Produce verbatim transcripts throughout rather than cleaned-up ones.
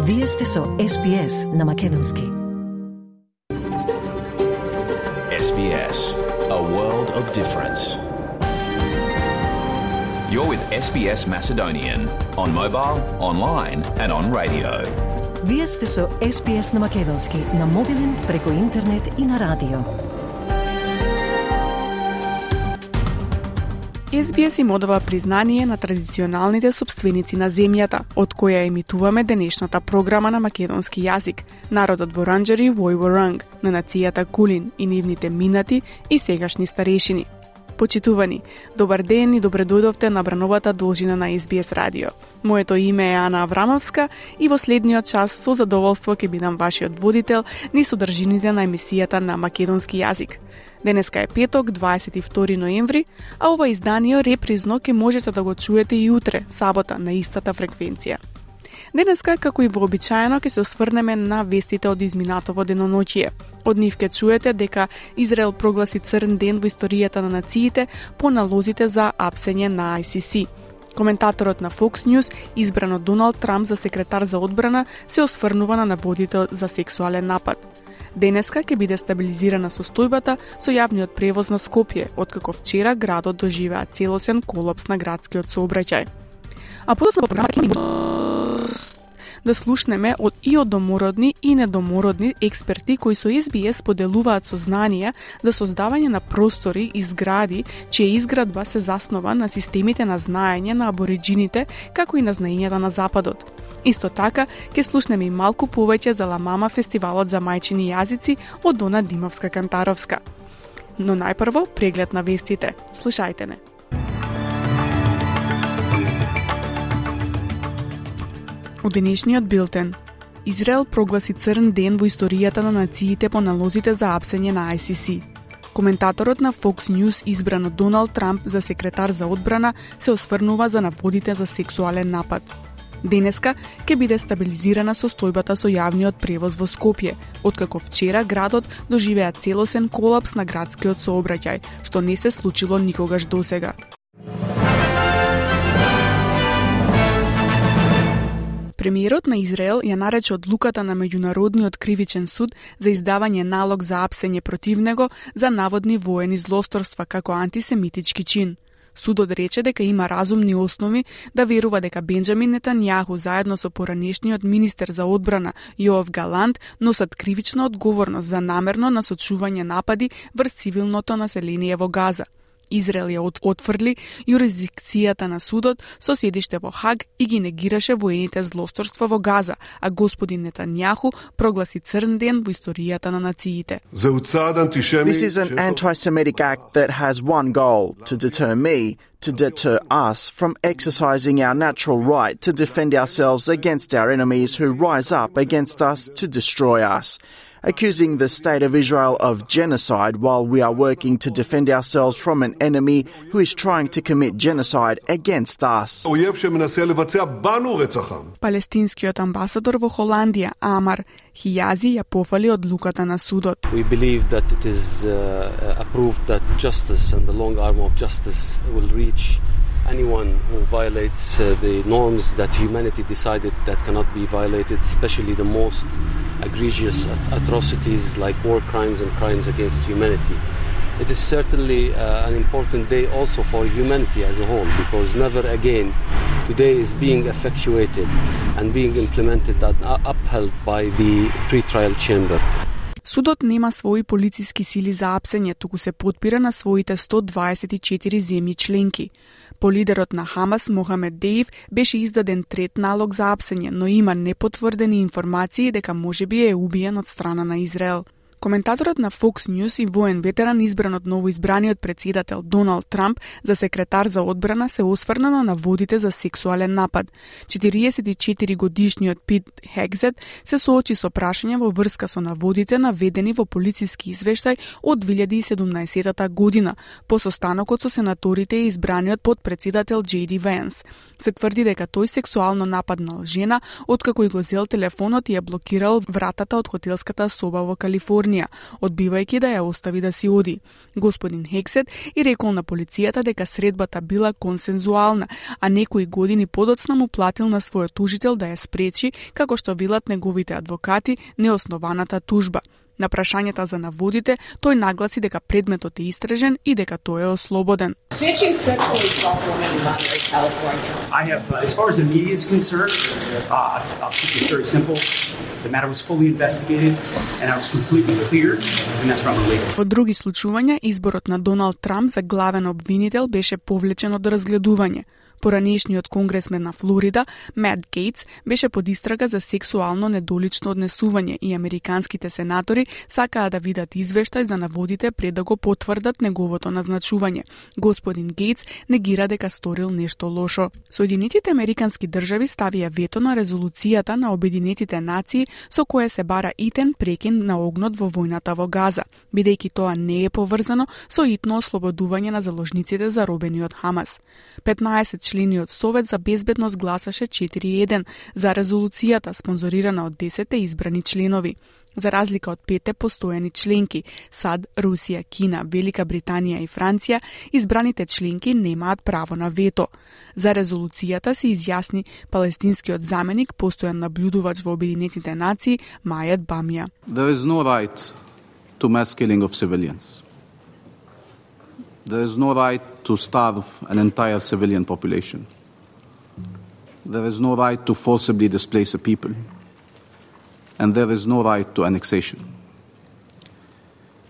Вие сте со Ес Би Ес на Македонски. Ес Би Ес, a world of difference. You're with Ес Би Ес Macedonian on mobile, online and on radio. Вие сте со Ес Би Ес на Македонски на мобилен, преку интернет и на радио. Ес Би Ес им одава признание на традиционалните собственици на земјата, од која емитуваме денешната програма на македонски јазик, народот Воранџари Вој Воранг, на нацијата Кулин и нивните минати и сегашни старешини. Почитувани, добар ден и добре дојдовте на брановата должина на Ес Би Ес радио. Моето име е Ана Аврамовска и во следниот час со задоволство ќе бидам вашиот водител низ содржините на емисијата на македонски јазик. Денеска е петок, дваесет и втори ноември, а ова издание репризно ќе можете да го чуете и утре, сабота, на истата фреквенција. Денеска, како и вообичаено, ќе се осврнеме на вестите од изминатово деноноќие. Од нив ќе чуете дека Израел прогласи црн ден во историјата на нациите по налозите за апсење на Ай Си Си. Коментаторот на Fox News, избран од Доналд Трамп за секретар за одбрана, се осврнува на наводите за сексуален напад. Денеска ќе биде стабилизирана состојбата со јавниот превоз на Скопје, откако вчера градот доживеа целосен колапс на градскиот сообраќај. А подоцна програма да слушнеме од и од домородни и недомородни експерти кои со Ес Би Ес поделуваат сознанија за создавање на простори и згради чија изградба се заснова на системите на знаење на абориџините, како и на знаењата на Западот. Исто така, ќе слушнеме и малку повеќе за Ламама фестивалот за мајчини јазици од Дона Димовска-Кантаровска. Но најпрво преглед на вестите. Слушајте не. Од денешниот билтен. Израел прогласи црн ден во историјата на нациите по налозите за апсење на Ай Си Си. Коментаторот на Fox News, избран од Доналд Трамп за секретар за одбрана, се осврнува за наводите за сексуален напад. Денеска ќе биде стабилизирана состојбата со јавниот превоз во Скопје, откако вчера градот доживеа целосен колапс на градскиот сообраќај, што не се случило никогаш досега. Премиерот на Израел ја нарече одлуката на Меѓународниот кривичен суд за издавање налог за апсење против него за наводни воени злосторства како антисемитички чин. Судот рече дека има разумни основи да верува дека Бенџамин Нетањаху заедно со поранешниот министер за одбрана Јоав Галант носат кривична одговорност за намерно насочување напади врз цивилното население во Газа. Израел ја отфрли јурисдикцијата на судот со седиште во Хаг и ги негираше воените злосторства во Газа, а господин Нетањаху прогласи црн ден во историјата на нациите. This is an anti-Semitic act that has one goal, to deter me, to deter us from exercising our natural right to defend ourselves against our enemies who rise up against us to destroy us. Accusing the State of Israel of genocide while we are working to defend ourselves from an enemy who is trying to commit genocide against us. Палестинскиот амбасадор во Холандија, Амар Хијази, ја пофали одлуката на судот. We believe that it is uh, a proof that justice and the long arm of justice will reach anyone who violates uh, the norms that humanity decided that cannot be violated, especially the most egregious atrocities like war crimes and crimes against humanity. It is certainly uh, an important day also for humanity as a whole, because never again today is being effectuated and being implemented and upheld by the pre-trial chamber. Судот нема своји полициски сили за апсење, туку се потпира на своите сто дваесет и четири земји членки. По лидерот на Хамас, Мохамед Деив, беше издаден трет налог за апсење, но има непотврдени информации дека можеби е убиен од страна на Израел. Коментаторот на Fox News и воен ветеран, избран од новоизбраниот председател Доналд Трамп за секретар за одбрана, се осврна на наводите за сексуален напад. четириесет и четири годишниот Пит Хегзет се соочи со прашање во врска со наводите наведени во полициски извештај од две илјади и седумнаесетта година, по состанокот со сенаторите и избраниот подпредседател Џеј Ди Венс. Се тврди дека тој сексуално нападнал жена откако и го зел телефонот и ја блокирал вратата од хотелската соба во Калифорнија. Калифорнија, одбивајќи да ја остави да си оди. Господин Хексет и рекол на полицијата дека средбата била консензуална, а некои години подоцна му платил на својот тужител да ја спречи, како што велат неговите адвокати, неоснованата тужба. На прашањата за наводите, тој нагласи дека предметот е истражен и дека тој е ослободен. Snitching sexually assault women in Monterey, California. I have, uh, as far as the media is concerned, uh, I'll keep this very simple. The matter was fully investigated and I was completely cleared, and that's from the legal. Во други случувања, изборот на Доналд Трамп за главен обвинител беше повлечен од разгледување. Поранешниот конгресмен на Флорида, Мат Гейтс, беше под истрага за сексуално недолично однесување и американските сенатори сакаа да видат извештај за наводите пред да го потврдат неговото назначување. Господин Гейтс негира дека сторил нешто лошо. Соединетите американски држави ставија вето на резолуцијата на Обединетите нации со која се бара итен прекин на огнот во војната во Газа, бидејќи тоа не е поврзано со итно ослободување на заложниците заробени од Хамас. петнаесет Члениот Совет за безбедност гласаше четири еден за резолуцијата, спонзорирана од десетте избрани членови. За разлика од петте постојани членки, САД, Русија, Кина, Велика Британија и Франција, избраните членки немаат право на вето. За резолуцијата се изјасни палестинскиот заменик, постојан наблюдувач во Обединетите нации, Мајет Бамја. There is no right to mass killing of civilians. There is no right to starve an entire civilian population. There is no right to forcibly displace a people. And there is no right to annexation.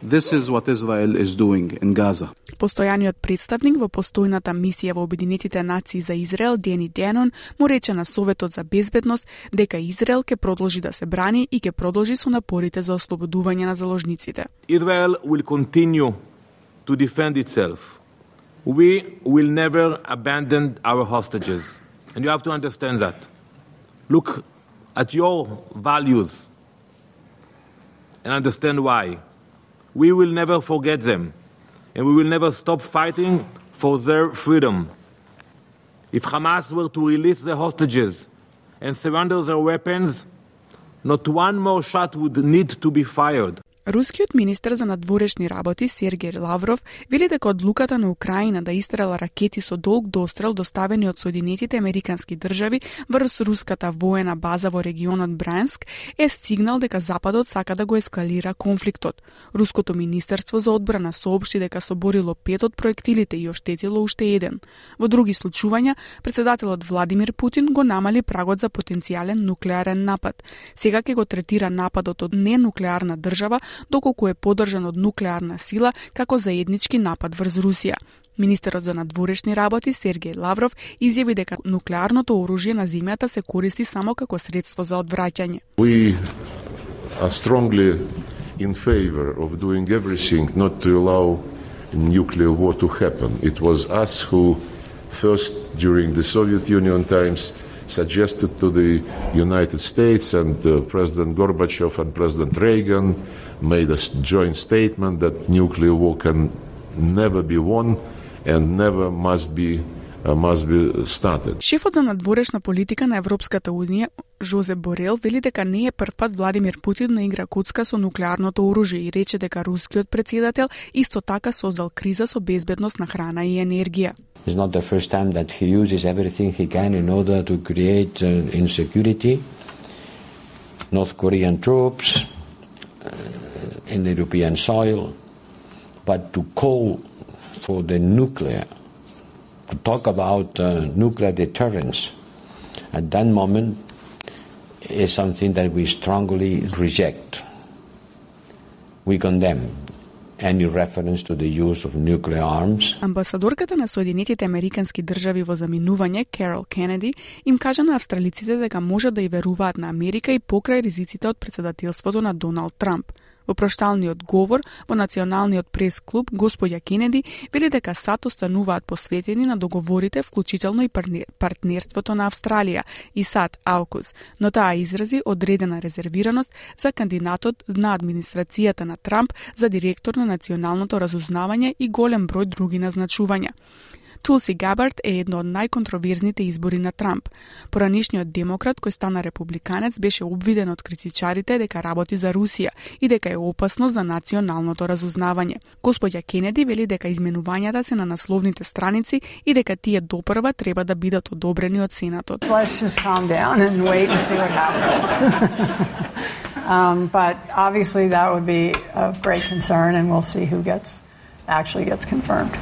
This is what Israel is doing in Gaza. Постојаниот представник во постојната мисија во Обединетите нации за Израел, Дени Денон, му рече на Советот за безбедност дека Израел ќе продолжи да се брани и ќе продолжи со напорите за ослободување на заложниците. Israel will continue to defend itself. We will never abandon our hostages. And you have to understand that. Look at your values and understand why. We will never forget them, and we will never stop fighting for their freedom. If Hamas were to release their hostages and surrender their weapons, not one more shot would need to be fired. Рускиот министер за надворешни работи Сергеј Лавров вели дека одлуката на Украина да истрела ракети со долг дострел доставени од Соединетите американски држави врз руската воена база во регионот Брянск е стигнал дека Западот сака да го ескалира конфликтот. Руското министерство за одбрана соопшти дека соборило пет од проектилите и оштетило уште еден. Во други случувања, председателот Владимир Путин го намали прагот за потенцијален нуклеарен напад. Сега ќе го третира нападот од ненуклеарна држава доколку е поддржан од нуклеарна сила како заеднички напад врз Русија. Министерот за надворешни работи Сергеј Лавров изјави дека нуклеарното оружје на земјата се користи само како средство за одвраќање. We are strongly in favor of doing everything not to allow nuclear war to happen. It was us who first during the Soviet Union times suggested to the United States, and uh, President Gorbachev and President Reagan made a joint statement that nuclear war can never be won and never must be uh, must be started. Шефот за надворешна политика на Европската унија Жозеп Борел вели дека не е прв пат Владимир Путин да игра коцка со нуклеарното оружје и рече дека рускиот председател исто така создал криза со безбедност на храна и енергија. It's not the first time that he uses everything he can in order to create uh, insecurity. North Korean troops uh, in the European soil, but to call for the nuclear, to talk about uh, nuclear deterrence at that moment is something that we strongly reject. We condemn any reference to the use of nuclear arms. Амбасадорката на Соединетите американски држави во заминување, Карол Кенеди, им кажа на австралиците дека може да и веруваат на Америка и покрај ризиците од председателството на Доналд Трамп. Во прошталниот говор во Националниот прес-клуб, господја Кенеди вели дека САД остануваат посветени на договорите, вклучително и партнерството на Австралија и САД-Аукус, но таа изрази одредена резервираност за кандидатот на администрацијата на Трамп за директор на Националното разузнавање и голем број други назначувања. Тулси Габард е едно од најконтроверзните избори на Трамп. Поранишниот демократ кој стана републиканец беше обвиден од критичарите дека работи за Русија и дека е опасно за националното разузнавање. Господја Кенеди вели дека изменувањата се на насловните страници и дека тие допрва треба да бидат одобрени од Сенатот. Let's just calm down and wait and see what happens. um, but obviously that would be of great concern and we'll see who gets actually gets confirmed.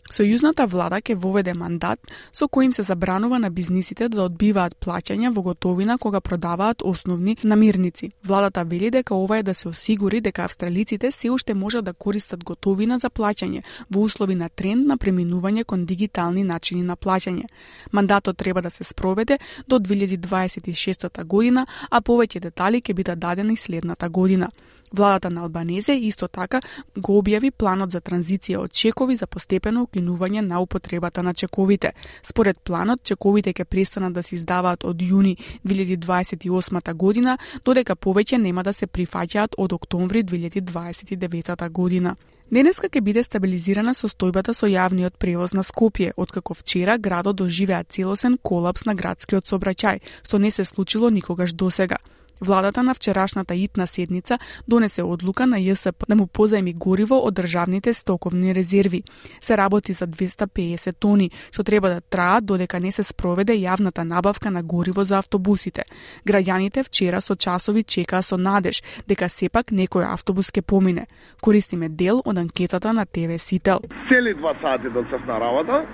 Сојузната влада ќе воведе мандат со кој им се забранува на бизнисите да одбиваат плаќања во готовина кога продаваат основни намирници. Владата вели дека ова е да се осигури дека австралиците се уште можат да користат готовина за плаќање во услови на тренд на преминување кон дигитални начини на плаќање. Мандатот треба да се спроведе до две илјади дваесет и шеста година, а повеќе детали ќе бидат дадени следната година. Владата на Албанезе исто така го објави планот за транзиција од чекови за постепено укинување на употребата на чековите. Според планот, чековите ќе престанат да се издаваат од јуни две илјади дваесет и осма година, додека повеќе нема да се прифаќаат од октомври две илјади дваесет и девета година. Денеска ќе биде стабилизирана состојбата со јавниот превоз на Скопје, откако вчера градот доживеа целосен колапс на градскиот сообраќај, што не се случило никогаш досега. Владата на вчерашната итна седница донесе одлука на Ј С П да му позајми гориво од државните стоковни резерви. Се работи за двесте и педесет тони, што треба да траат додека не се спроведе јавната набавка на гориво за автобусите. Граѓаните вчера со часови чекаа со надеж дека сепак некој автобус ќе помине. Користиме дел од анкетата на Т В Сител. Цели два сати доцев на работа.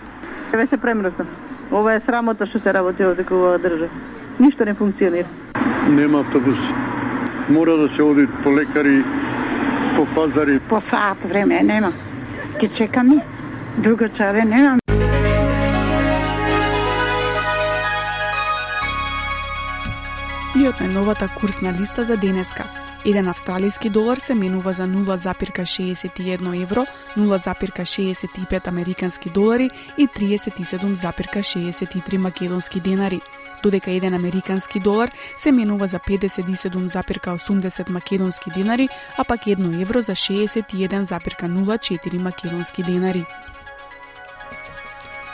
Еве се премрзна. Ова е срамота што се работи во такова држава. Ништо не функционира. Нема автобус. Мора да се оди по лекари, по пазари. По сат време нема. Ке чекаме. Друга чаре нема. И од најновата курсна листа за денеска. Еден австралиски долар се менува за нула запирка шеесет и едно евро, нула запирка шеесет и пет американски долари и триесет и седум запирка шеесет и три македонски денари, додека еден американски долар се менува за педесет и седум запирка осумдесет македонски денари, а пак едно евро за шеесет и еден запирка нула четири македонски денари.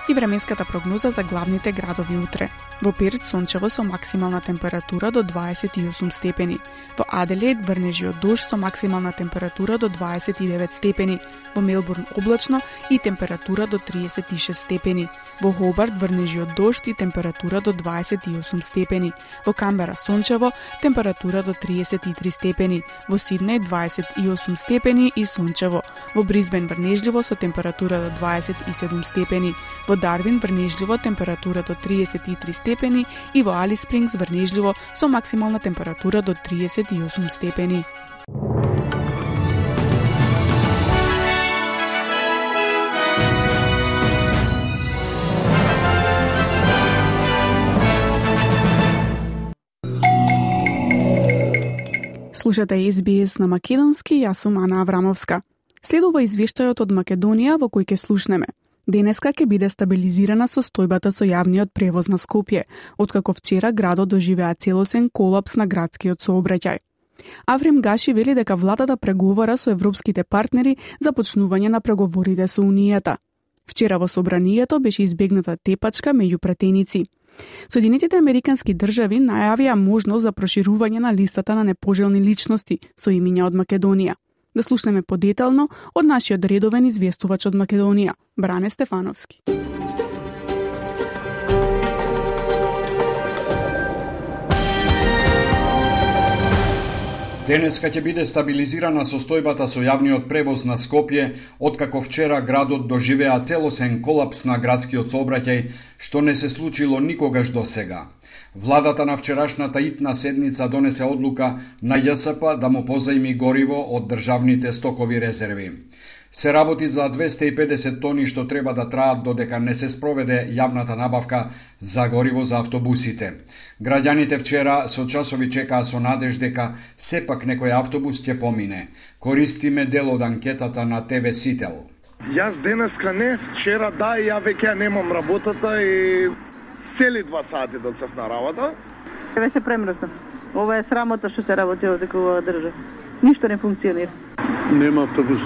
И временската прогноза за главните градови утре. Во Перт сончево со максимална температура до дваесет и осум степени. Во Аделаид врнежи од дожд со максимална температура до дваесет и девет степени. Во Мелбурн облачно и температура до триесет и шест степени. Во Хобарт врнежи од дожд и температура до дваесет и осум степени. Во Камбера сончево, температура до триесет и три степени. Во Сиднеј дваесет и осум степени и сончево. Во Брисбен врнежливо со температура до дваесет и седум степени. Во Дарвин врнежливо температура до триесет и три степени и во Алис Спрингс врнежливо со максимална температура до триесет и осум степени. Слушате С Б С на македонски, јас сум Ана Аврамовска. Следува извештајот од Македонија во кој ќе слушнеме. Денеска ќе биде стабилизирана состојбата со јавниот превоз на Скопје, откако вчера градот доживеа целосен колапс на градскиот сообраќај. Аврим Гаши вели дека владата преговара со европските партнери за почнување на преговорите со Унијата. Вчера во собранието беше избегната тепачка меѓу пратеници. Соединетите американски држави најавија можност за проширување на листата на непожелни личности со имиња од Македонија. Да слушнеме подетално од нашиот редовен известувач од Македонија, Бране Стефановски. Денеска ќе биде стабилизирана состојбата со јавниот превоз на Скопје, откако вчера градот доживеа целосен колапс на градскиот сообраќај, што не се случило никогаш досега. Владата на вчерашната итна седница донесе одлука на Ј С П да му позајми гориво од државните стокови резерви. Се работи за двесте и педесет тони што треба да траат додека не се спроведе јавната набавка за гориво за автобусите. Граѓаните вчера со часови чекаа со надеж дека сепак некој автобус ќе помине. Користиме дел од анкетата на Т В Сител. Јас денеска не, вчера да, и ја веќе немам работата и цели два сати доцев на работа. Еве се премрзна. Ова е срамота што се работи во такова држава. Ништо не функционира. Нема автобус.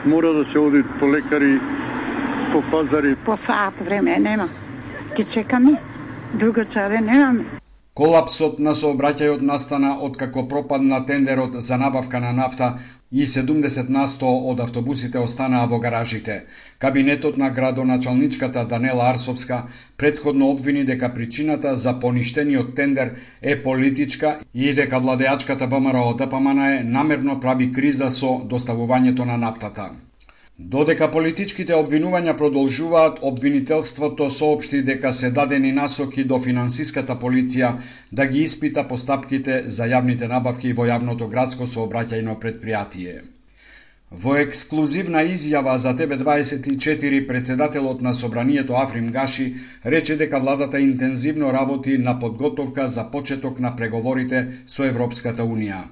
Мора да се оди по лекари, по пазари. По саат време нема. Ке чекаме. Друго чаре немаме. Колапсот на сообраќајот настана откако пропадна тендерот за набавка на нафта и седумдесет на сто од автобусите останаа во гаражите. Кабинетот на градоначалничката Данела Арсовска претходно обвини дека причината за поништениот тендер е политичка и дека владеачката ВМРО Д П М Н е намерно прави криза со доставувањето на нафтата. Додека политичките обвинувања продолжуваат, обвинителството соопшти дека се дадени насоки до финансиската полиција да ги испита постапките за јавните набавки во јавното градско сообраќајно предпријатие. Во ексклузивна изјава за Т В дваесет и четири, председателот на Собранието Африм Гаши рече дека владата интензивно работи на подготовка за почеток на преговорите со Европската Унија.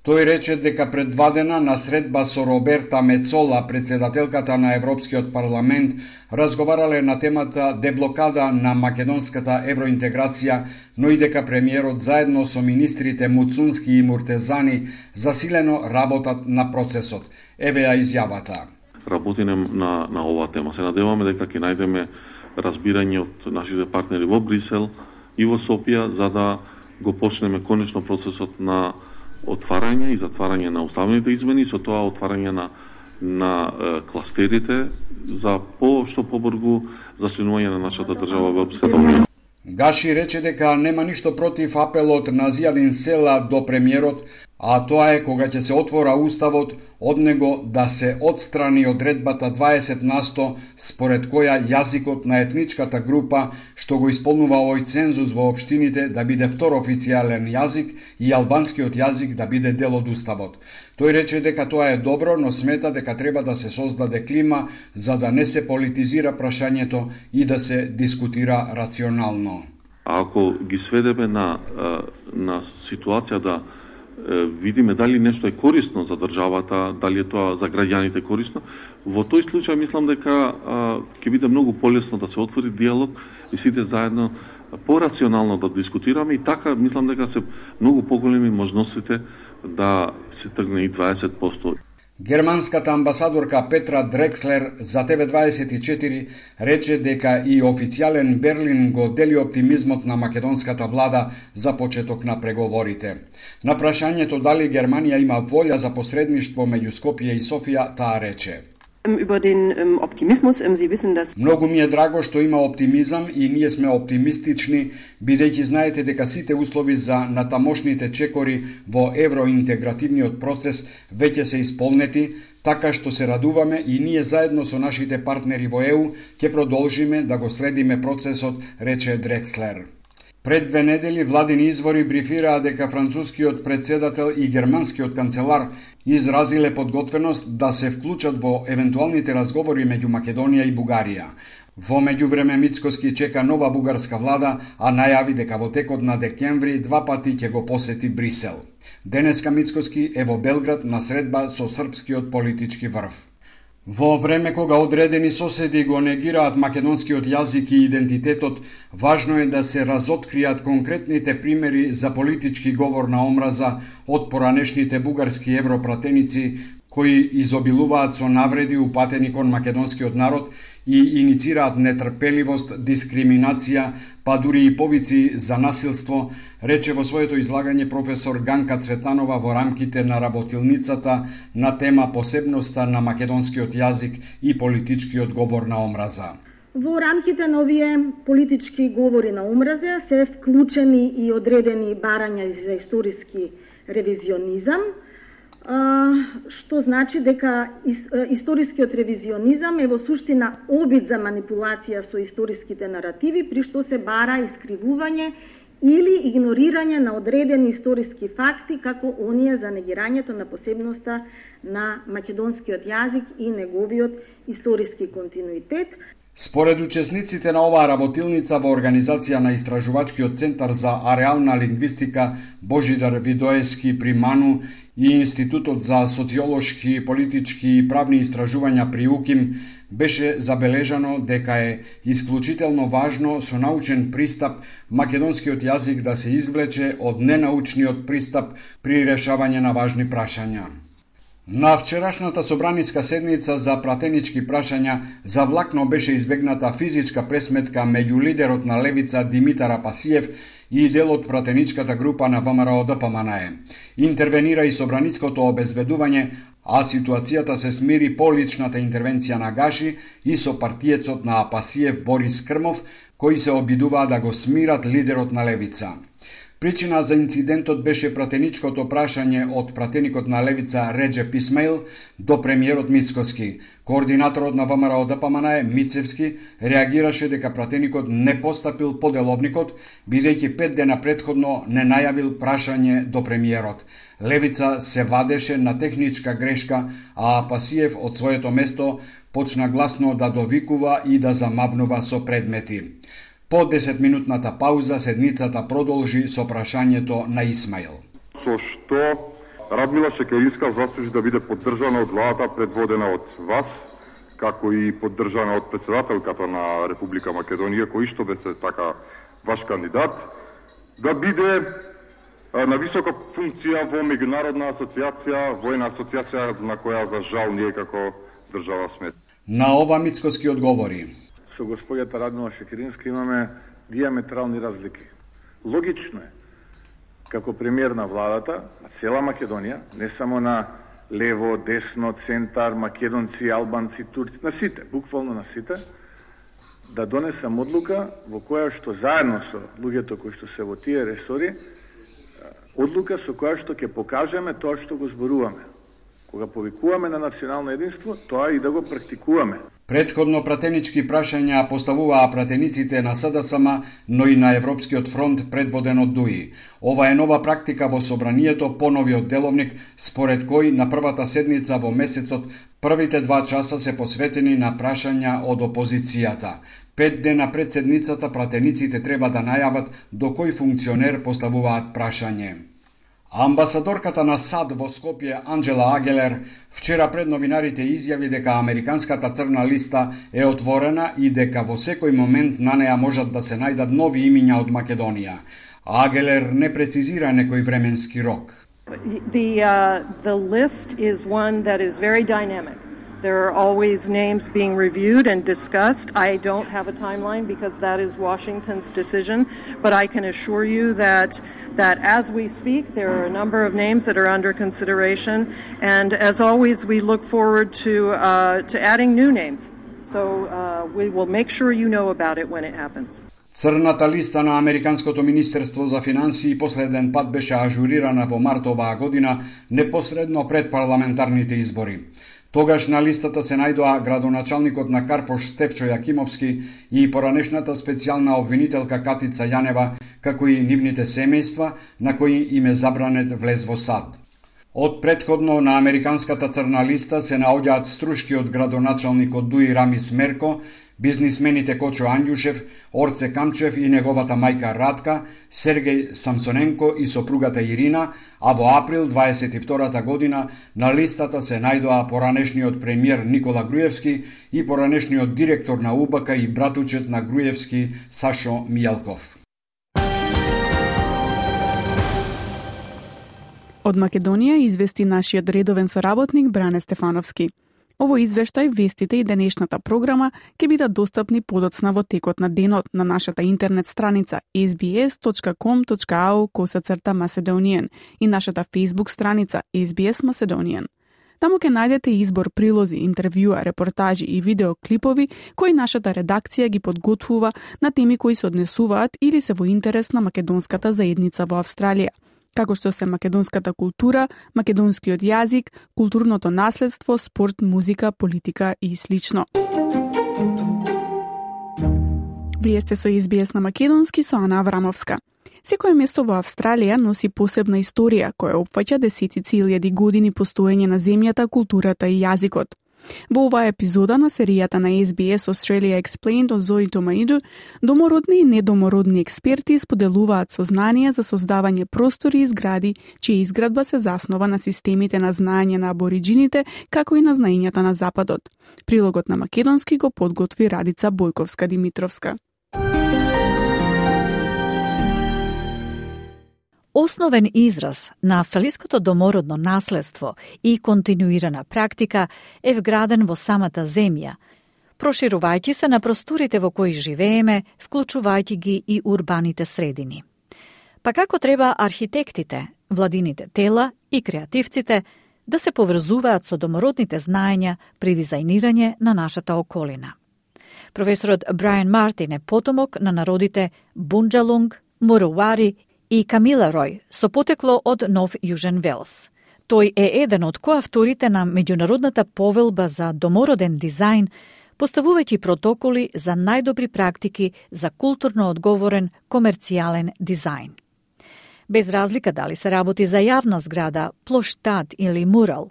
Тој рече дека предвадена на средба со Роберта Мецола, председателката на Европскиот парламент, разговарале на темата деблокада на македонската евроинтеграција, но и дека премиерот заедно со министрите Муцунски и Муртезани засилено работат на процесот. Еве ја изјавата. Работиме на, на оваа тема. Се надеваме дека ќе најдеме разбирање од нашите партнери во Брисел и во Софија, за да го почнеме конечно процесот на отварање и затварање на уставните измени, со тоа отварање на на е, кластерите за по што побрзо заслинување на нашата држава во Европската унија. Гаши рече дека нема ништо против апелот на Зијадин Села до премиерот, а тоа е кога ќе се отвора уставот, од него да се отстрани одредбата дваесет на сто според која јазикот на етничката група што го исполнува овој цензус во општините да биде втор официјален јазик и албанскиот јазик да биде дел од уставот. Тој рече дека тоа е добро, но смета дека треба да се создаде клима за да не се политизира прашањето и да се дискутира рационално. А ако ги сведеме на на ситуација да видиме дали нешто е корисно за државата, дали е тоа за граѓаните корисно, во тој случај мислам дека ќе биде многу полесно да се отвори диалог и сите заедно порационално да дискутираме и така мислам дека се многу поголеми можностите да се тргне и дваесет проценти. Германската амбасадорка Петра Дрекслер за Т В дваесет и четири рече дека и официјален Берлин го дели оптимизмот на македонската влада за почеток на преговорите. На прашањето дали Германија има волја за посредништво меѓу Скопје и Софија, таа рече: Über den ähm, Optimismus, ähm, Sie wissen, dass... Многу ми е драго што има оптимизам и ние сме оптимистични, бидејќи знаете дека сите услови за натамошните чекори во евроинтегративниот процес веќе се исполнети, така што се радуваме и ние заедно со нашите партнери во Е У ќе продолжиме да го следиме процесот, рече Дрекслер. Пред две недели владини извори брифираа дека францускиот председател и германскиот канцелар изразиле подготвеност да се вклучат во евентуалните разговори меѓу Македонија и Бугарија. Во меѓувреме Мицкоски чека нова бугарска влада, а најави дека во текот на декември два пати ќе го посети Брисел. Денеска Мицкоски е во Белград на средба со српскиот политички врв. Во време кога одредени соседи го негираат македонскиот јазик и идентитетот, важно е да се разоткријат конкретните примери за политички говор на омраза од поранешните бугарски европратеници кои изобилуваат со навреди упатени кон македонскиот народ и иницираат нетрпеливост, дискриминација, па дури и повици за насилство, рече во своето излагање професор Ганка Цветанова во рамките на работилницата на тема посебноста на македонскиот јазик и политичкиот говор на омраза. Во рамките на овие политички говори на омраза се вклучени и одредени барања за историски ревизионизам, што значи дека историскиот ревизионизам е во суштина обид за манипулација со историските наративи, при што се бара искривување или игнорирање на одредени историски факти, како оние за негирањето на посебноста на македонскиот јазик и неговиот историски континуитет. Според учесниците на оваа работилница во организација на Истражувачкиот центар за ареална лингвистика Божидар Видоески при МАНУ и Институтот за социолошки, политички и правни истражувања при УКИМ, беше забележано дека е исклучително важно со научен пристап македонскиот јазик да се извлече од ненаучниот пристап при решавање на важни прашања. На вчерашната собраниска седница за пратенички прашања завлакно беше избегната физичка пресметка меѓу лидерот на левица Димитар Апасиев и дел од пратеничката група на ВМРО Д П М Н Е. Интервенира и собраниското обезбедување, а ситуацијата се смири по личната интервенција на Гаши и со партиецот на Апасиев Борис Крмов, кои се обидуваа да го смират лидерот на левица. Причина за инцидентот беше пратеничкото прашање од пратеникот на левица Реджеп Исмаил до премиерот Мицкоски. Координаторот на ВМРО Д П М Н Е Мицевски реагираше дека пратеникот не постапил по деловникот, бидејќи пет дена претходно не најавил прашање до премиерот. Левица се вадеше на техничка грешка, а Апасиев од своето место почна гласно да довикува и да замавнува со предмети. По десетминутната пауза седницата продолжи со прашањето на Исмаил. Со што Радмила Шекеринска заслужи да биде поддржана од владата предводена од вас, како и поддржана од претседателката на Република Македонија, кој што беше така ваш кандидат, да биде на висока функција во меѓународна асоциација, војна асоциација на која за жал ние како држава сме. На ова Мицкоски одговори: со господјата Радмила Шекеринска имаме диаметрални разлики. Логично е, како премиер на владата, на цела Македонија, не само на лево, десно, центар, македонци, албанци, турци, на сите, буквално на сите, да донесам одлука во која што заедно со луѓето кои што се во тие ресори, одлука со која што ќе покажеме тоа што го зборуваме. Кога повикуваме на национално единство, тоа и да го практикуваме. Претходно пратенички прашања поставуваа пратениците на С Д С М, но и на Европскиот фронт предводен од Дуи. Ова е нова практика во собранието по новиот деловник, според кој на првата седница во месецот првите два часа се посветени на прашања од опозицијата. Пет дена пред седницата пратениците треба да најават до кој функционер поставуваат прашање. Амбасадорката на САД во Скопје Анджела Агелер вчера пред новинарите изјави дека американската црна листа е отворена и дека во секој момент на неа можат да се најдат нови имиња од Македонија. Агелер не прецизира некој временски рок. The uh, the list is one that is very dynamic. There are always names being reviewed and discussed. I don't have a timeline because that is Washington's decision, but I can assure you that that as we speak, there are a number of names that are under consideration, and as always, we look forward to uh, to adding new names. So uh, we will make sure you know about it when it happens. Црната листа на Американското министерство за финансии последен пат беше ажурирана во март оваа година, непосредно пред парламентарните избори. Тогаш на листата се најдоа градоначалникот на Карпош Стефчо Јакимовски и поранешната специјална обвинителка Катица Јанева, како и нивните семејства, на кои им е забранет влез во САД. Од претходно на американската црна листа се наоѓаат струшкиот градоначалникот Дуи Рамис Мерко, бизнисмените Кочо Андјушев, Орце Камчев и неговата мајка Радка, Сергеј Самсоненко и сопругата Ирина, а во април дваесет и втората година на листата се најдоа поранешниот премиер Никола Груевски и поранешниот директор на У Б К и братучет на Груевски Сашо Мијалков. Од Македонија извести нашиот редовен соработник Бране Стефановски. Ово извештај, вестите и денешната програма ќе бидат достапни подоцна во текот на денот на нашата интернет страница ес би ес точка ком точка ей ю косацрта Macedonian и нашата Facebook страница Ес Би Ес Macedonian. Таму ќе најдете избор прилози, интервјуа, репортажи и видеоклипови кои нашата редакција ги подготвува на теми кои се однесуваат или се во интерес на македонската заедница во Австралија, како што се македонската култура, македонскиот јазик, културното наследство, спорт, музика, политика и слично. Вие сте со Ес Би Ес на македонски со Ана Аврамовска. Секое место во Австралија носи посебна историја која опфаќа десетици илјади години постоење на земјата, културата и јазикот. Во оваа епизода на серијата на Ес Би Ес Australia Explained од Зои Томаиду, домородни и недомородни експерти споделуваат сознание за создавање простори и згради, чија изградба се заснова на системите на знаење на абориджините, како и на знаењата на Западот. Прилогот на македонски го подготви Радица Бојковска-Димитровска. Основен израз на австралиското домородно наследство и континуирана практика е вграден во самата земја, проширувајќи се на просторите во кои живееме, вклучувајќи ги и урбаните средини. Па како треба архитектите, владините тела и креативците да се поврзуваат со домородните знаења при дизајнирање на нашата околина? Професорот Брайан Мартин е потомок на народите Бунджалунг, Муруари и Камиларој со потекло од Нов Јужен Велс. Тој е еден од коавторите на меѓународната повелба за домороден дизајн, поставувајќи протоколи за најдобри практики за културно одговорен комерцијален дизајн. Без разлика дали се работи за јавна зграда, плоштад или мурал,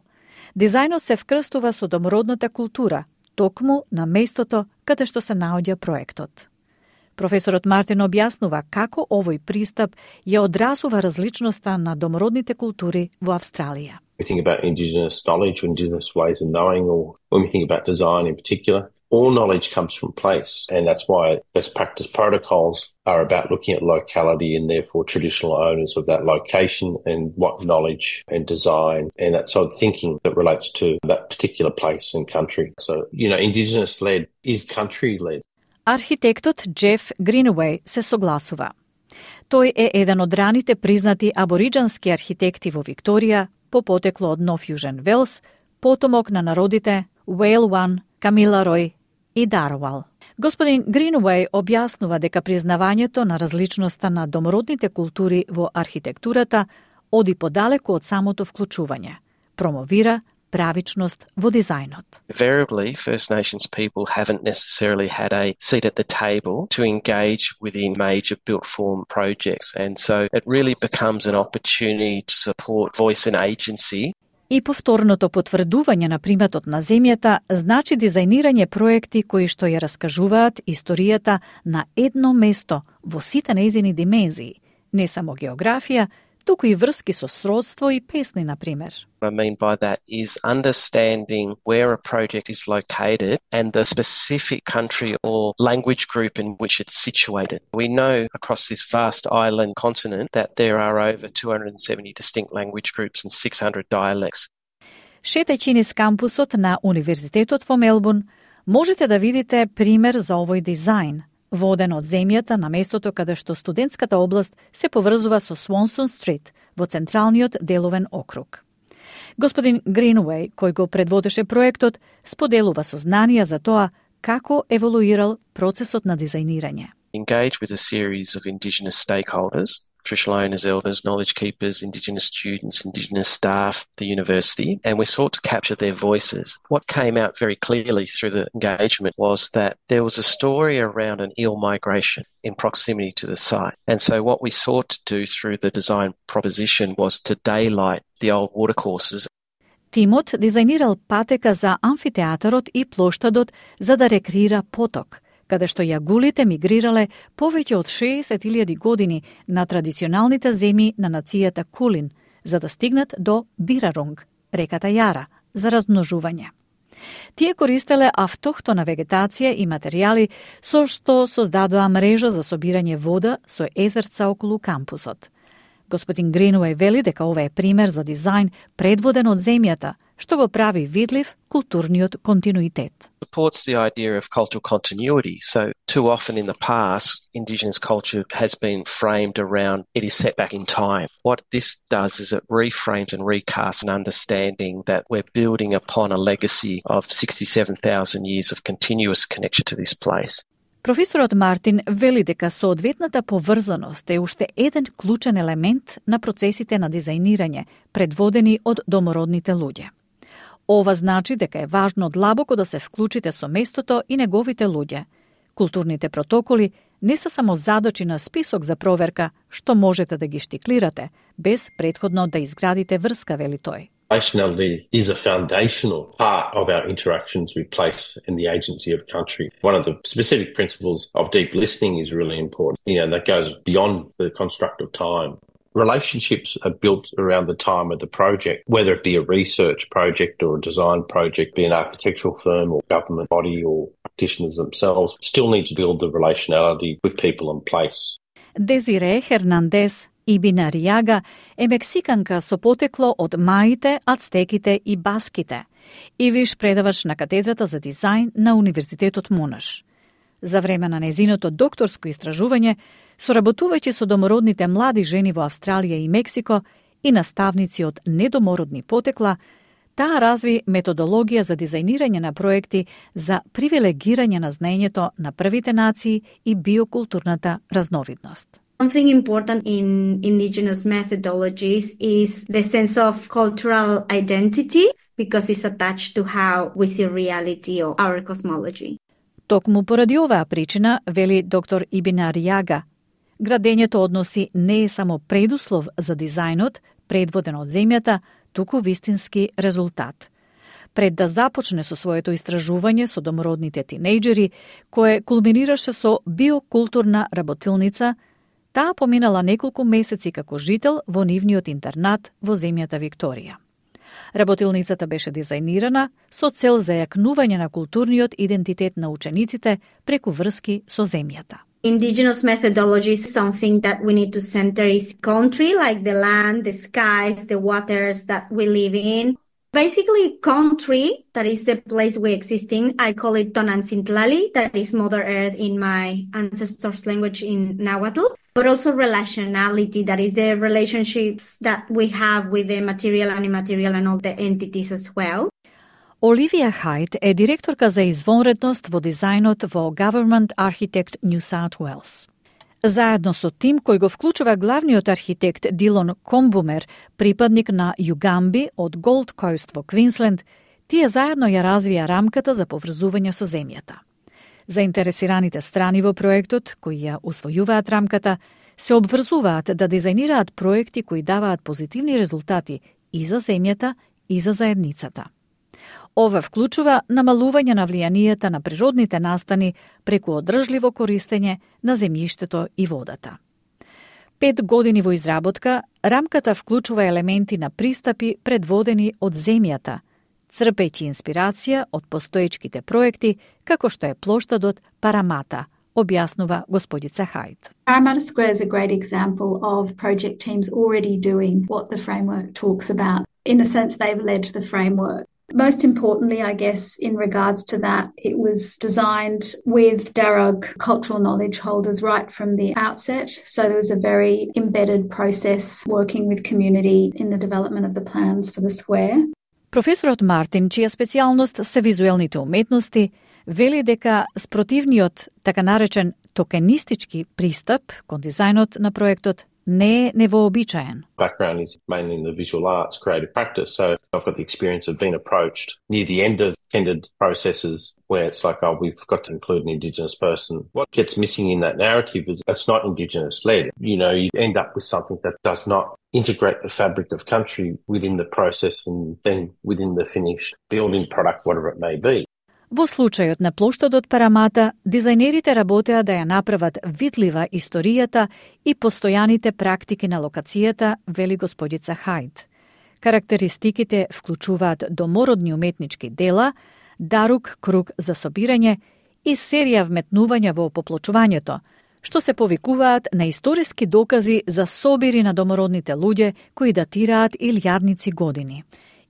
дизајнот се вкрстува со домородната култура, токму на местото каде што се наоѓа проектот. Професорот Мартин објаснува како овој пристап ја одразува различноста на домородните култури во Австралија. We think about indigenous knowledge or indigenous ways of knowing, or when we think about design in particular, all knowledge comes from place, and that's why best practice protocols are about looking at locality and therefore traditional owners of that location and what knowledge and design and that sort of thinking that relates to that particular place and country. So, you know, indigenous-led is country-led. Архитектот Джеф Гринуеј се согласува. Тој е еден од раните признати абориџански архитекти во Викторија, по потекло од Нов Јужен Велс, потомок на народите Уейлван, Камиларој и Дарвал. Господин Гринуеј објаснува дека признавањето на различноста на домородните култури во архитектурата оди подалеку од самото вклучување, промовира правичност во дизајнот. Invariably, First Nations people haven't necessarily had a seat at the table to engage within major built form projects, and so it really becomes an opportunity to support voice and agency. И повторното потврдување на приматот на земјата значи дизајнирање проекти кои што ја раскажуваат историјата на едно место во сите нејзини димензии, не само географија, туку и врски со сродство и песни, на пример. What I mean by that is understanding where a project is located and the specific country or language group in which it's situated. We know across this vast island continent that there are over two hundred seventy distinct language groups and six hundred dialects. Шетајќи низ кампусот на Универзитетот во Мелбурн, можете да видите пример за овој дизајн, воден од земјата на местото каде што студентската област се поврзува со Свонсон Стрит во централниот деловен округ. Господин Гринуеј, кој го предводеше проектот, споделува сознанија за тоа како еволуирал процесот на дизајнирање. Engage with a series of Indigenous stakeholders, traditional owners, elders, knowledge keepers, Indigenous students, Indigenous staff, the university, and we sought to capture their voices. What came out very clearly through the engagement was that there was a story around an eel migration in proximity to the site. And so what we sought to do through the design proposition was to daylight the old watercourses. Тимот дизајнирал патека за амфитеатарот и плоштадот за да рекреира поток, каде што јагулите мигрирале повеќе од шеесет илјади години на традиционалните земји на нацијата Кулин, за да стигнат до Бирарунг, реката Јара, за размножување. Тие користеле автохтона вегетација и материјали со што создадоа мрежа за собирање вода со езерца околу кампусот. Господин Гринуеј вели дека ова е пример за дизајн предводен од земјата, што го прави видлив културниот континуитет. Supports the idea of cultural continuity. So too often in the past, Indigenous culture has been framed around it is set back in time. What this does is it reframes and recasts an understanding that we're building upon a legacy of sixty-seven thousand years of continuous connection to this place. Професорот Мартин вели дека соодветната поврзаност е уште еден клучен елемент на процесите на дизајнирање, предводени од домородните луѓе. Ова значи дека е важно длабоко да се вклучите со местото и неговите луѓе. Културните протоколи не се само задачи на список за проверка, што можете да ги штиклирате, без претходно да изградите врска, вели тој. Relationality is a foundational part of our interactions with place and the agency of country. One of the specific principles of deep listening is really important. You know, that goes beyond the construct of time. Relationships are built around the time of the project, whether it be a research project or a design project, be an architectural firm or government body or practitioners themselves, still need to build the relationality with people in place. Дезире Хернандес, Ибина Ријага е мексиканка со потекло од маите, ацтеките и баските и виш предавач на катедрата за дизајн на Универзитетот Монаш. За време на незиното докторско истражување, соработувајќи со домородните млади жени во Австралија и Мексико и наставници од недомородни потекла, таа разви методологија за дизајнирање на проекти за привилегирање на знаењето на првите нации и биокултурната разновидност. Something important in indigenous methodologies is the sense of cultural identity because it's attached to how we see reality or our cosmology. Токму поради оваа причина, вели доктор Ибина Ријага, градењето односи не е само предуслов за дизајнот, предводен од земјата, туку вистински резултат. Пред да започне со своето истражување со домородните тинејџери, кое кулминираше со биокултурна работилница, таа поминала неколку месеци како жител во нивниот интернат во земјата Викторија. Работилницата беше дизајнирана со цел зајакнување на културниот идентитет на учениците преку врски со земјата. Indigenous methodology is something that we need to center is country, like the land, the skies, the waters that we live in. Basically, country, that is the place we exist in. I call it Tonancintlali, that is Mother Earth in my ancestors' language in Nahuatl. But also relationality, that is the relationships that we have with the material and immaterial and all the entities as well. Оливија Хајт е директорка за извонредност во дизајнот во Government Architect New South Wales. Заедно со тим кој го вклучува главниот архитект Дилон Комбумер, припадник на Југамби од Голд Коуст во Квинсленд, тие заедно ја развија рамката за поврзување со земјата. Заинтересираните страни во проектот, кои ја усвојуваат рамката, се обврзуваат да дизајнираат проекти кои даваат позитивни резултати и за земјата, и за заедницата. Ова вклучува намалување на влијанието на природните настани преку одржливо користење на земјиштето и водата. Пет години во изработка, рамката вклучува елементи на пристапи предводени од земјата, црпејќи инспирација од постоечките проекти, како што е плоштадот Парамата, објаснува господица Хајт. Parramatta Square is a great example of project teams already doing what the framework talks about. In a sense, they've led the framework. Most importantly, I guess, in regards to that, it was designed with Darug cultural knowledge holders right from the outset. So there was a very embedded process working with community in the development of the plans for the square. Професорот Мартин, чија специјалност се визуелните уметности, вели дека спротивниот, така наречен токенистички пристап кон дизајнот на проектот не е невообичаен. Background is mainly in the visual arts, creative practice, so I've got the experience of being approached near the end of tendered processes where it's like, oh, we've got to include an Indigenous person. What gets missing in that narrative is it's not Indigenous-led. You know, you end up with something that does not integrate the fabric of country within the process and then within the finished building product, whatever it may be. Во случајот на плоштадот Парамата, дизајнерите работеа да ја направат видлива историјата и постојаните практики на локацијата, вели господица Хајт. Карактеристиките вклучуваат домородни уметнички дела, дарук круг за собирање и серија вметнувања во поплочувањето, што се повикуваат на историски докази за собири на домородните луѓе кои датираат илјадници години.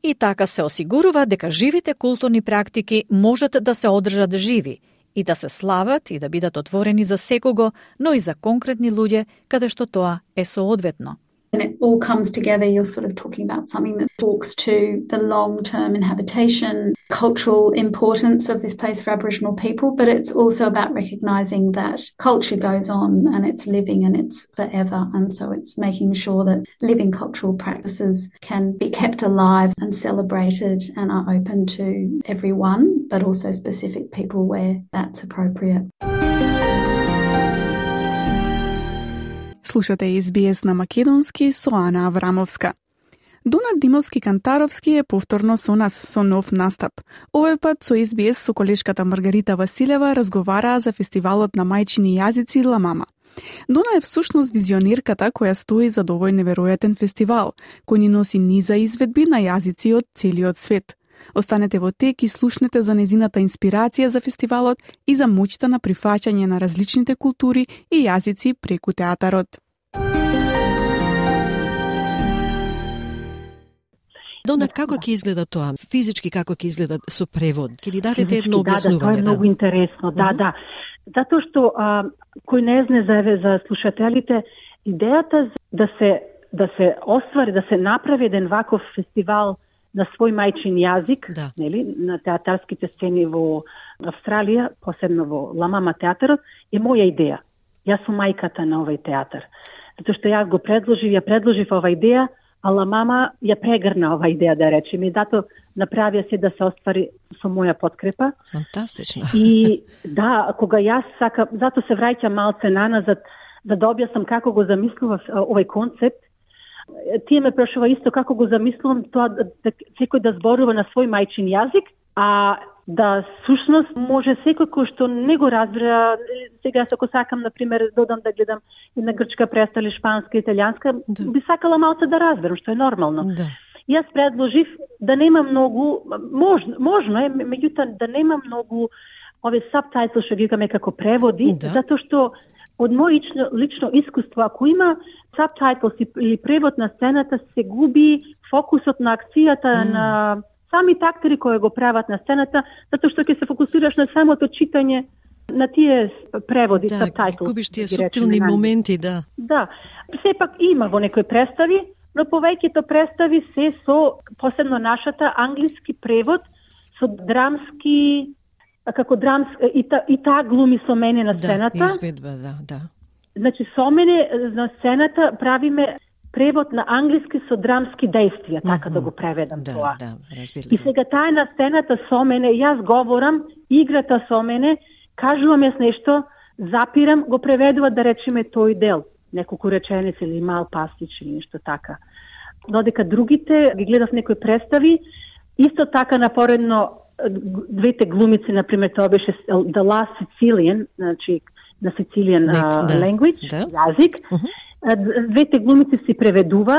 И така се осигурува дека живите културни практики можат да се одржат живи и да се слават и да бидат отворени за секого, но и за конкретни луѓе каде што тоа е соодветно. And it all comes together, you're sort of talking about something that talks to the long-term inhabitation, cultural importance of this place for Aboriginal people, but it's also about recognising that culture goes on and it's living and it's forever. And so it's making sure that living cultural practices can be kept alive and celebrated and are open to everyone, but also specific people where that's appropriate. Слушате Ес Би Ес на македонски со Ана Аврамовска. Донат Димовски-Кантаровски е повторно со нас со нов настап. Овој пат со Ес Би Ес со колешката Маргарита Василева разговараа за фестивалот на мајчини јазици Ла Мама. Дона е всушност визионерката која стои за овој неверојатен фестивал, кој ни носи низа изведби на јазици од целиот свет. Останете во тек и слушнете за незината инспирација за фестивалот и за моќта на прифаќање на различните култури и јазици преку театарот. Дона, како ќе изгледа тоа? Физички како ќе изгледа со превод? Ќе ни дадете Физички, едно објаснување? Да, да, тоа е многу интересно. Да, да. Затоа што а, кој не знае за за слушателите, идејата да се да се оствари, да се направи еден ваков фестивал на свој мајчин јазик, да. нели, на театарските сцени во Австралија, посебно во Ла Мама театарот, е моја идеја. Јас сум мајката на овој театар. Затоа што јас го предложив, ја предложив ова идеја, а Ла Мама ја прегрна ова идеја, да речем, и дато направија се да се оствари со моја подкрепа. Фантастично. И да, кога јас сака, зато се враќам малце наназад, да да објаснам како го замислував овој концепт. Тие ме прашува исто како го замислувам тоа да, да секој да зборува на свој мајчин јазик, а да сушност може секој кој што не го разбира. Сега ако сакам, например, додам да гледам и на грчка представа или шпанска, италијанска, да. Би сакала малце да разберам, што е нормално. Да. Јас предложив да нема многу, можно, можно е, меѓутоа да нема многу овие сабтайтли што ги викаме како преводи, да. Затоа што од мој лично, лично искуство, ако има сабтайтлс или превод на сцената, се губи фокусот на акцијата mm. на самите актери кои го прават на сцената, затоа што ќе се фокусираш на самото читање на тие преводи, да, сабтайтлс. Да, губиш тие суптилни моменти, да. Да, сепак има во некои представи, но повеќето представи се со, посебно нашата, англиски превод, со драмски, како драмски, и, та, и таа глуми со мене на сцената. Да, изведба, да, да. Значи, со мене на сцената правиме превод на англиски со драмски действија, така mm-hmm. да го преведам да, тоа. Да, разбирам. И сега таа е на сцената со мене, јас говорам, играта со мене, кажувам јас нешто, запирам, го преведува да речеме тој дел, неколку реченици или мал пастич или нешто така. Додека другите ги гледав некои представи, исто така напоредно двете глумици, например, тоа беше The Last Sicilian, значи на Sicilian uh, да, language, да. Јазик. Uh-huh. Двете глумици си преведува,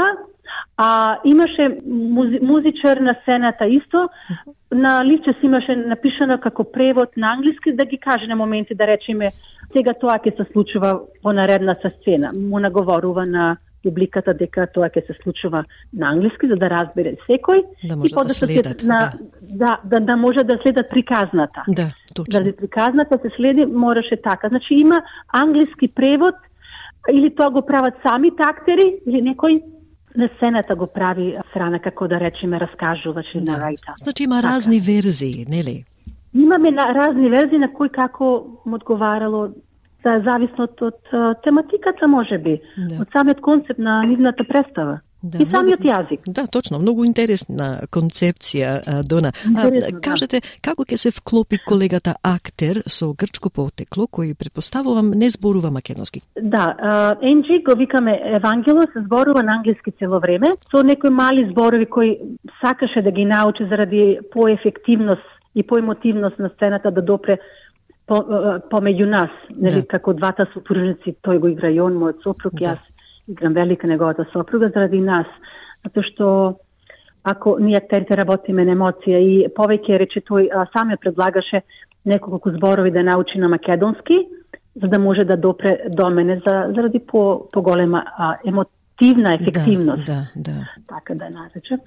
а имаше музи, музичар на сцената исто, uh-huh. на личе си имаше напишано како превод на англиски, да ги каже на моменти, да речеме, сега тоа ќе се случува во наредната сцена. Му наговорува на публиката дека тоа ќе се случува на англиски, за да разбере секој. Да може да следат. На, да. Да, да, да може да следат приказната. Да, точно. Да приказната се следи, мораше така. Значи има англиски превод, или тоа го прават самите актери, или некој на сцената го прави страна, како да речеме, раскажувач или да. нарајта. Значи има така. Разни верзии, нели? Имаме на, разни верзии на кој како му одговарало, да, зависно од, од тематиката, може би, да. Од самиот концепт на нивната представа. Да, и самиот многу, јазик. Да, точно, многу интересна концепција, Дона. Интересно, а, кажете, да. Како ќе се вклопи колегата актер со грчко потекло, кој предпоставувам не зборува македонски? Да, Енджи го викаме Евангело, се зборува на англиски цело време, со некои мали зборови кои сакаше да ги научи заради поефективност и поемотивност на сцената да допре по, помеѓу нас, нели, да. Како двата сопружници, тој го игра и он, мојот сопруг, да. Јас играм велика неговата сопруга заради нас, затоа што ако ние актерите работиме на емоција и повеќе рече тој а, сам ја предлагаше неколку зборови да научи на македонски, за да може да допре до мене за, заради по поголема а, емотивна ефективност. Да, да, да. Така да наречем.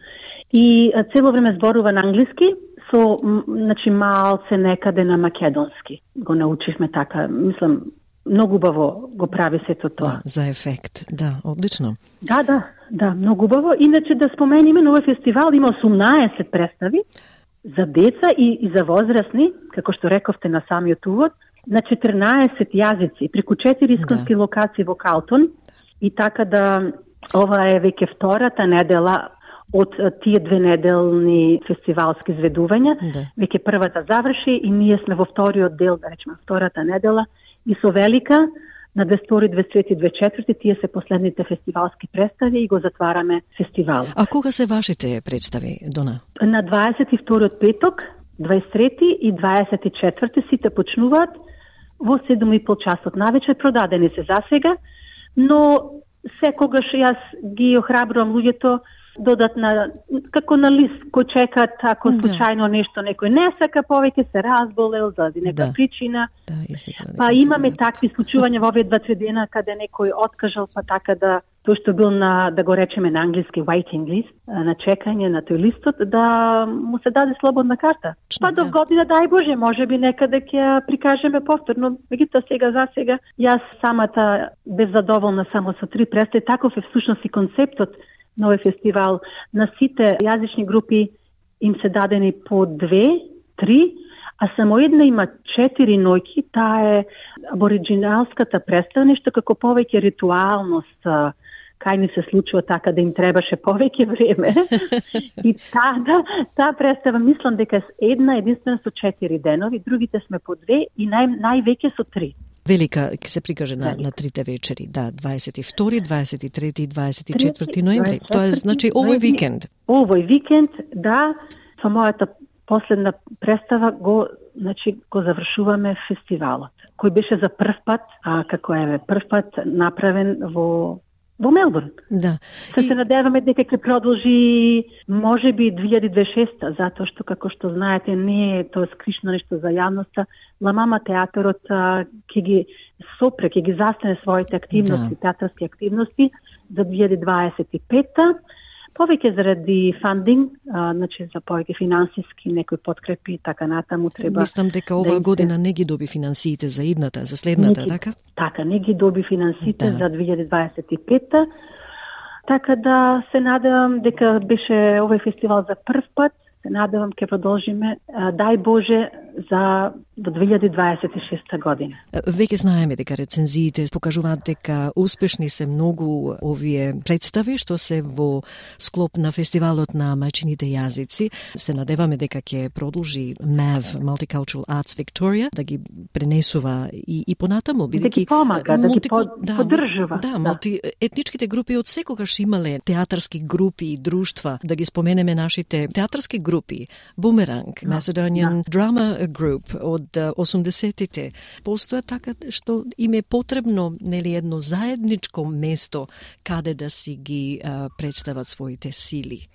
И а, цело време зборува на англиски, со значи малце некаде на македонски. Го научивме така, мислам, многу убаво го прави сето тоа. Да, за ефект, да, одлично. Да, да, да, многу убаво. Иначе да спомениме, на овој фестивал има осумнаесет представи за деца и, и за возрастни, како што рековте на самиот увод, на четрнаесет јазици, преку четири исконски да. Локации во Калтон. И така да, ова е веќе втората недела од тие две неделни фестивалски изведувања. Да. Веќе првата заврши и ние сме во вториот дел, да речеме, втората недела. И со Велика на дваесет и втори, дваесет и трети, дваесет и четврти тие се последните фестивалски представи и го затвараме фестивал. А кога се вашите представи, Дона? На дваесет и вториот петок, дваесет и трети и дваесет и четврти сите почнуваат во седум и пол часот навечер, продадени се засега, но секогаш јас ги охрабрувам луѓето додатна, како на лист кој чекат ако случајно нешто некој не сака повеќе, се разболел заради нека да. причина. Да, истина, па имаме такви случувања во овие два-три дена каде некој откажал, па така да тој што бил на, да го речеме на англиски waiting list, на чекање на тој листот, да му се даде слободна карта. Па до година, дај Боже, може би некаде ќе ја прикажеме повторно. Меѓутоа сега за сега јас самата бев задоволна само со три представи. Таков е всушност и концептот на овој фестивал. На сите јазични групи им се дадени по две, три, а само една има четири ноќи. Таа е абориджиналската представа, нешто како повеќе ритуалност. Кај ни се случува така да им требаше повеќе време. И таа да, таа представа мислам дека е една единствена со четири денови, другите сме по две и нај, највеќе со три. Велика ќе се прикаже на, на трите вечери, да, дваесет и втори, дваесет и трети и дваесет и четврти ноември. Тоа е значи овој викенд. Овој викенд, да, со мојата последна представа го, значи го завршуваме фестивалот, кој беше за прв пат, а како е прв пат направен во во Мелбурн. Да. Се и... се надеваме дека ќе продолжи можеби две илјади дваесет и шеста, затоа што како што знаете не е тоа скришно нешто за јавноста. Ла Мама театарот ќе ги сопре, ќе ги застане своите активности, да. театарски активности за две илјади дваесет и пета. Повеќе заради фандинг, а, значи за повеќе финансиски некои подкрепи, така натаму треба. Мислам дека оваа да година не ги доби финансиите за идната, за следната, не ги, така? Така, не ги доби финансиите да. за две илјади дваесет и пета. Така да се надевам дека беше овој фестивал за прв пат. Се надевам ќе продолжиме, дај Боже, за до две илјади дваесет и шеста година. Веќе знаеме дека рецензиите покажуваат дека успешни се многу овие представи што се во склоп на фестивалот на мајчините јазици. Се надеваме дека ќе продолжи ем е ви, Multicultural Arts Victoria, да ги пренесува и, и понатаму. Да ги помага, мулти... да ги под... да, поддржува. Да, да. Мултиетничките групи од секогаш имале театарски групи и друштва. Да ги споменеме нашите театарски групи. Бумеранг, да, Macedonian да. Drama Group од осумдесетите. Постоја така што им е потребно нели едно заедничко место каде да си ги а, представат своите сили.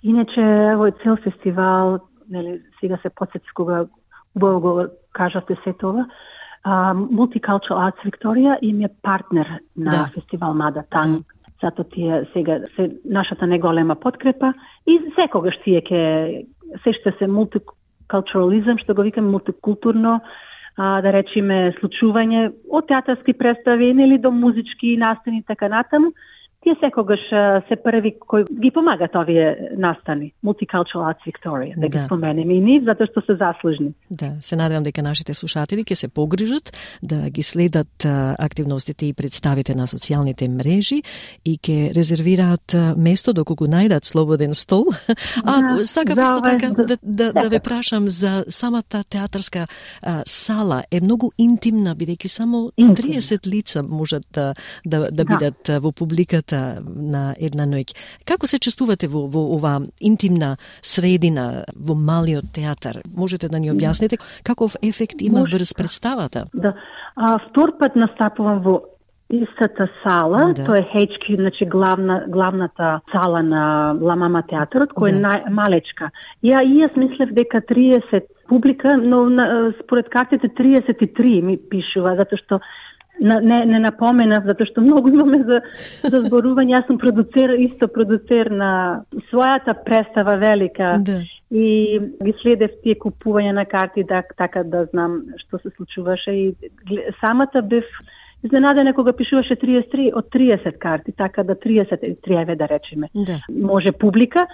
Иначе овој цел фестивал, нели сега се потсети кога убаво го кажавте се тоа, Multicultural Arts Victoria им е партнер на да. фестивал Мада Танг. Да. Зато тие сега се нашата неголема подкрепа и секогаш тие ќе се ще се мултикултурализам, што го викаме мултикултурно, а, да речеме случување од театарски представи или до музички настани така натаму. Тие секогаш се први кои ги помагат овие настани. Multicultural Arts Victoria, да, да ги споменеме и ние, затоа што се заслужни. Да, се надевам дека нашите слушатели ќе се погрижат да ги следат а, активностите и представите на социјалните мрежи и ќе резервираат а, место доколку најдат слободен стол. А да, сакав исто така да, да, да ве прашам за самата театарска а, сала. Е многу интимна, бидејќи само триесет лица можат да, да, да бидат да. во публиката на една ноќ. Како се чувствувате во, во ова интимна средина, во малиот театар? Можете да ни објасните каков ефект има врз представата? Да. А, втор пат настапувам во истата сала, да. Тоа е Ейч Кју, значи главна, главната сала на Ла Мама театарот, која да. е најмалечка. Ја и јас мислев дека триесет публика, но на, според картите триесет и три ми пишува, затоа што не, не напоменав, затоа што многу имаме за, за зборување. Јас сум продуцер, исто продуцер на својата представа велика да. И ги следев тие купување на карти, да, така да знам што се случуваше и самата бев изненадена кога пишуваше триесет и три од триесет карти, така да триесет и три еве да речеме. Да. Може публика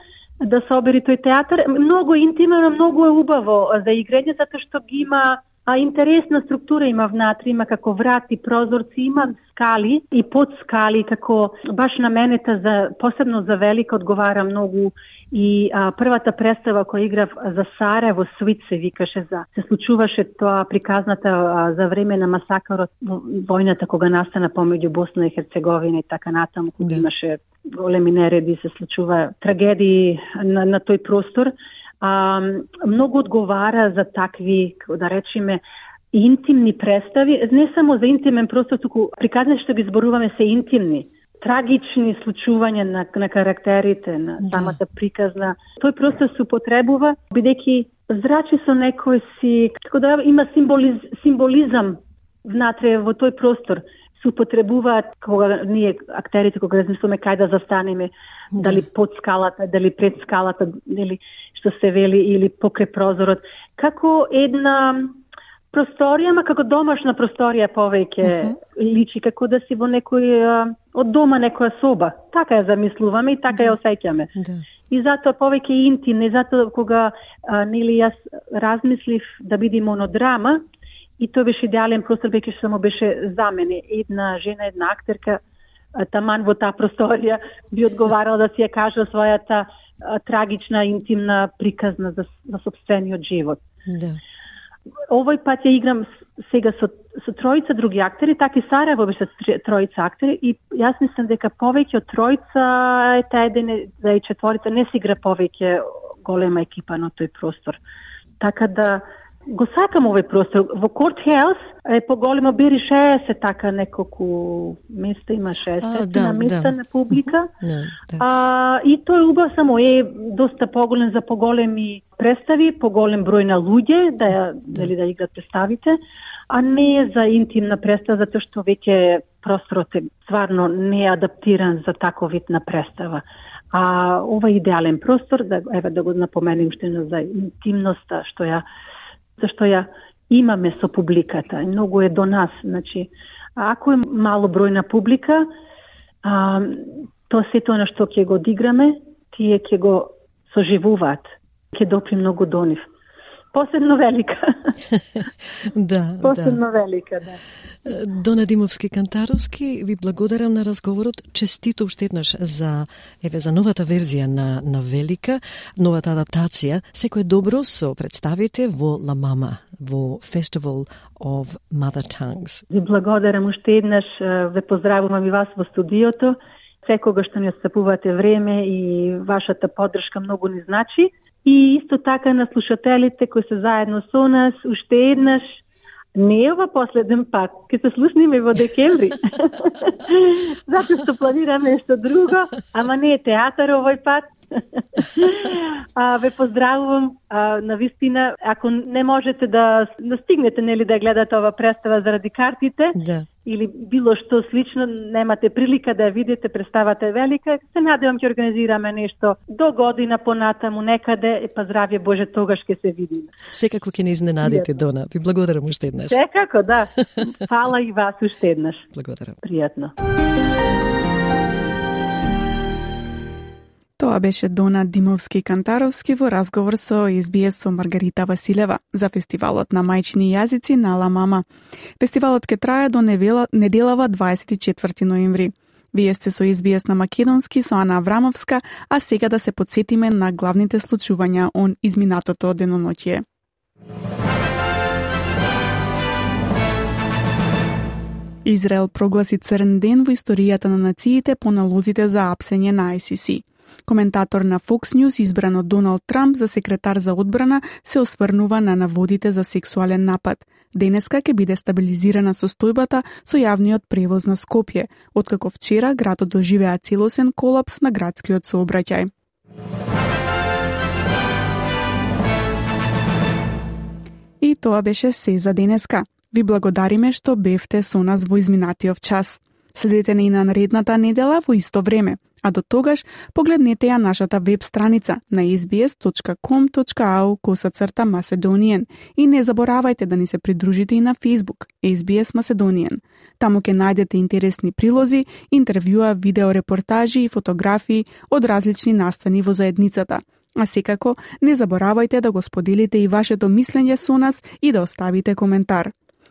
да собери тој театар. Многу интимно, многу е убаво за играње, затоа што ги има а интересна структура има внатре, има како врати, прозорци, има скали и под скали, како баш на менета за посебно за Велика одговара многу и а, првата представа која играв за Сараево Свит се викаше за се случуваше тоа приказната а, за време на масакарот војната кога настана помеѓу Босна и Херцеговина и така натаму, кога да. имаше големи нереди, се случува трагедии на, на тој простор. А, многу одговара за такви, да речеме, интимни представи, не само за интимен простор, туку приказни што ги зборуваме се интимни. трагични случувања на, на карактерите, на самата приказна. Тој простор се употребува, бидејќи зрачи со некој си, како да има символиз, символизам внатре во тој простор. Се употребуваат кога ние актерите кога размислуваме кај да застанеме, да. Дали под скалата, дали пред скалата, дали што се вели или покрај прозорот, како една просторија, ма како домашна просторија повеќе uh-huh. личи, како да си во некој од дома некоја соба. Така ја замислуваме и така да. Ја осеќаме. Да. И затоа повеќе интимно, и затоа кога а, нели јас размислив да биде монодрама, и тоа беше идеален простор, веќе што само беше за мене. Една жена, една актерка, таман во таа просторија би одговарала да си ја каже својата а, трагична, интимна приказна за, за собствениот живот. Да. Овој пат ја играм сега со, со тројца други актери, така и Сараево беше тројца актери, и јас мислам дека повеќе од тројца е таа еден, да и четворица не се игра повеќе голема екипа на тој простор. Така да го сакам овој простор. Во Court House е поголемо, бери шеесет така неколку места, има шеесет да, места да. На публика. Да, да. А, и тој убав само е доста поголем за поголеми представи, поголем број на луѓе да ја да. Дали да играат представите, а не е за интимна представа, затоа што веќе просторот е стварно не е адаптиран за таков вид на представа. А ова е идеален простор, да еве да го напоменем уште за интимноста што ја зашто ја имаме со публиката. Многу е до нас. Значи, ако е мало бројна публика, а, тоа сето на што ќе го одиграме, тие ќе го соживуваат. Ќе допри многу до нив. Посебно велика. да, Посебно да. велика, да. Дона Димовски-Кантаровски, ви благодарам на разговорот. Честито уште еднаш за еве за новата верзија на на Велика, новата адаптација. Секое добро со представите во La Mama, во Festival of Mother Tongues. Ви благодарам уште еднаш, ве поздравувам и вас во студиото. Секогаш што ни отстапувате време и вашата поддршка многу ни значи. И исто така на слушателите кои се заедно со нас, уште еднаш, не е ова последен пат, ке се слушнеме во декември. Затоа што планираме нешто друго, ама не е театар овој пат. а, ве поздравувам, а, на вистина, ако не можете да, да стигнете, нели, да гледате ова представа заради картите, да. Или било што слично, немате прилика да ја видите, представата е велика, се надевам ќе организираме нешто до година понатаму некаде, па здравје Боже, тогаш ќе се видиме. Секако ќе не изненадите, Дона. Ви благодарам уште еднаш. Секако, да. Фала и вас уште еднаш. Благодарам. Пријатно. Тоа беше Дона Димовски-Кантаровски во разговор со Ес Би Ес со Маргарита Василева за фестивалот на мајчини јазици на La Mama. Фестивалот ќе трае до неделава дваесет и четврти ноември. Вие сте со Ес Би Ес на македонски со Ана Аврамовска, а сега да се потсетиме на главните случувања он изминатото деноноќие. Израел прогласи црн ден во историјата на нациите по налозите за апсење на Ай Си Си. Коментатор на Fox News, избран од Доналд Трамп за секретар за одбрана, се осврнува на наводите за сексуален напад. Денеска ќе биде стабилизирана состојбата со јавниот превоз на Скопје, откако вчера градот доживеа целосен колапс на градскиот сообраќај. И тоа беше се за денеска. Ви благодариме што бевте со нас во изминатиот час. Следете ни на наредната недела во исто време. А до тогаш, погледнете ја нашата веб страница на ес би ес точка ком точка ау косацрта Macedonian и не заборавајте да ни се придружите и на Facebook Ес Би Ес Macedonian. Таму ќе најдете интересни прилози, интервјуа, видеорепортажи и фотографии од различни настани во заедницата. А секако, не заборавајте да го споделите и вашето мислење со нас и да оставите коментар.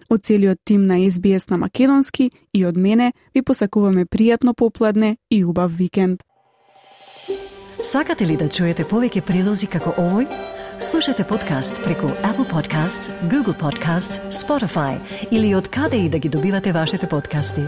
Од целиот тим на Ес Би Ес на македонски и од мене ви посакуваме пријатно попладне и убав викенд. Сакате ли да чуете повеќе прилози како овој? Слушате подкаст преку Apple Podcasts, Google Podcasts, Spotify или од каде и да ги добивате вашите подкасти.